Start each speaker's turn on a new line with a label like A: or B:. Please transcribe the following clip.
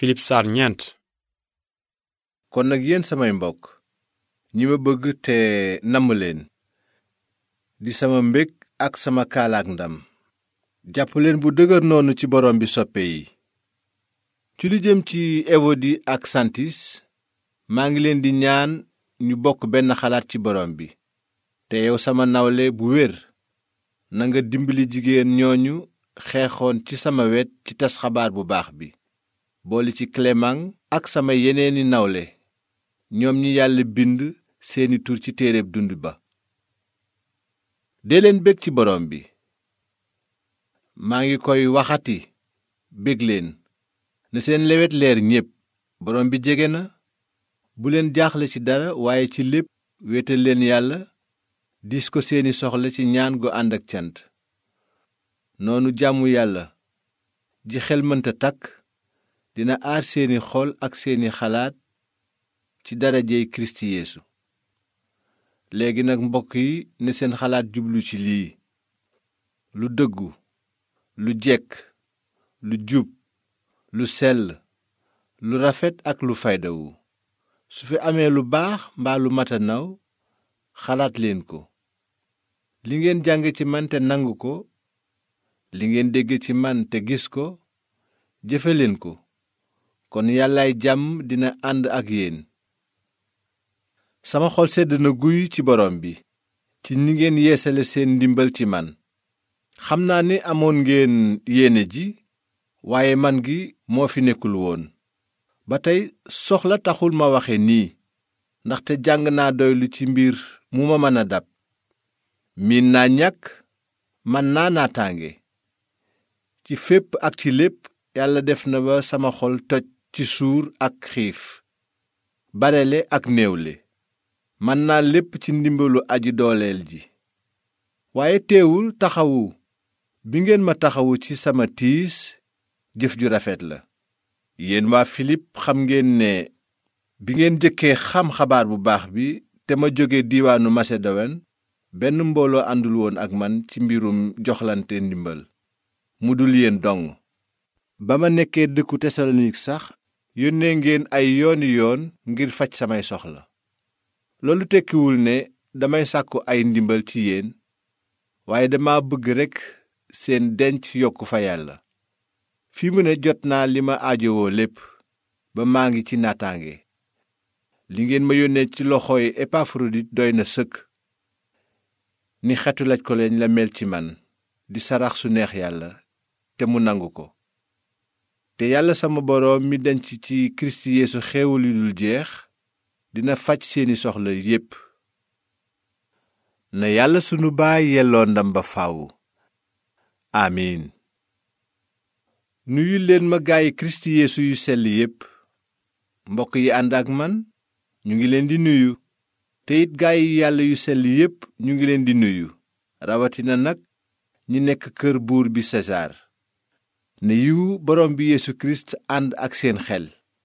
A: Filip saar ñeent.
B: kon nag yéen samay mbokk ñi ma bëgg te namm leen di sama mbég ak sama kaalaak ndam jàpp leen bu dëgër noonu ci borom bi soppe yi. ci lu jëm ci ewodi ak santis maa ngi leen di ñaan ñu bokk benn xalaat ci borom bi. te yow sama nawle bu wér nanga dimbali jigéen ñooñu xeexoon ci sama wet ci tas xabaar bu baax bi, boole ci Clément ak sama yeneeni nawle ñoom ñi yàlla bind seeni tur ci téereb dund ba. dee leen bég ci borom bi. maa ngi koy waxati, bég leen. na seen lewet leer ñépp, borom bi jege na. bu leen jaaxle ci dara, waaye ci lépp wéetal leen yàlla, diis ko seeni soxla ci ñaan gu ànd ak cant. noonu jàmmu yàlla ji xel mënta takk dina aar seeni xol ak seeni xalaat ci darajey Kirist Yeesu. léegi nag mbokk yi, ne seen xalaat jublu ci lii: lu dëggu, lu jekk, lu jub, lu sell, lu rafet ak lu faydawu. su fi amee lu baax mbaa lu mata naw, xalaat leen ko. li ngeen jàng ci man te nangu ko, li ngeen dégg ci man te gis ko, jëfe leen ko. kon yàllaay jàmm dina ànd ak yéen. sama xol sedd na guy ci borom bi ci ni ngeen yeesale seen ndimbal ci man. xam naa ni amoon ngeen yéene ji, waaye man gi moo fi nekkul woon. ba tey soxla taxul ma waxe nii, ndaxte jàng naa doylu ci mbir mu ma mën a dab. miin naa ñàkk, man naa naataange. ci fépp ak ci lépp yàlla def na ba sama xol toj ci suur ak xiif, barele ak néewle. man naa lépp ci ndimbalu aji dooleel ji. waaye teewul taxawu bi ngeen ma taxawu ci sama tiis jëf ju rafet la. yéen waa Filip xam ngeen ne bi ngeen jëkkee xam xabaar bu baax bi te ma jóge diiwaanu Masedowen, benn mbooloo àndul woon ak man ci mbirum joxlante ndimbal mu dul yéen dong. ba ma nekkee dëkku Tesalonik sax yónnee ngeen ay yooni yoon ngir faj samay soxla. loolu tekkiwul ne damay sàkku ay ndimbal ci yéen, waaye dama bëgg rekk seen denc yokku fa yàlla. fi mu ne jot naa li ma aajowoo lépp, ba maa ngi ci naataange. li ngeen ma yónnee ci loxooy Epafrodit doy na sëkk. ni xetu laj ko leen la mel ci man, di sarax su neex yàlla te mu nangu ko. te yàlla sama boroom mi denc ci Kirist Yeesu xéewal yu dul jeex dina faj seeni soxla yépp. na yàlla sunu baay yelloo ndam ba faaw. amiin. nuyu leen ma gaayi Kirist Yeesu yu sell yépp. mbokk yi ànd ak man ñu ngi leen di nuyu. te it gaayi yàlla yu sell yépp ñu ngi leen di nuyu, rawatina nag ñi nekk kër buur bi Sesaar. ne yiwu borom bi Yeesu Kirist ànd ak seen xel.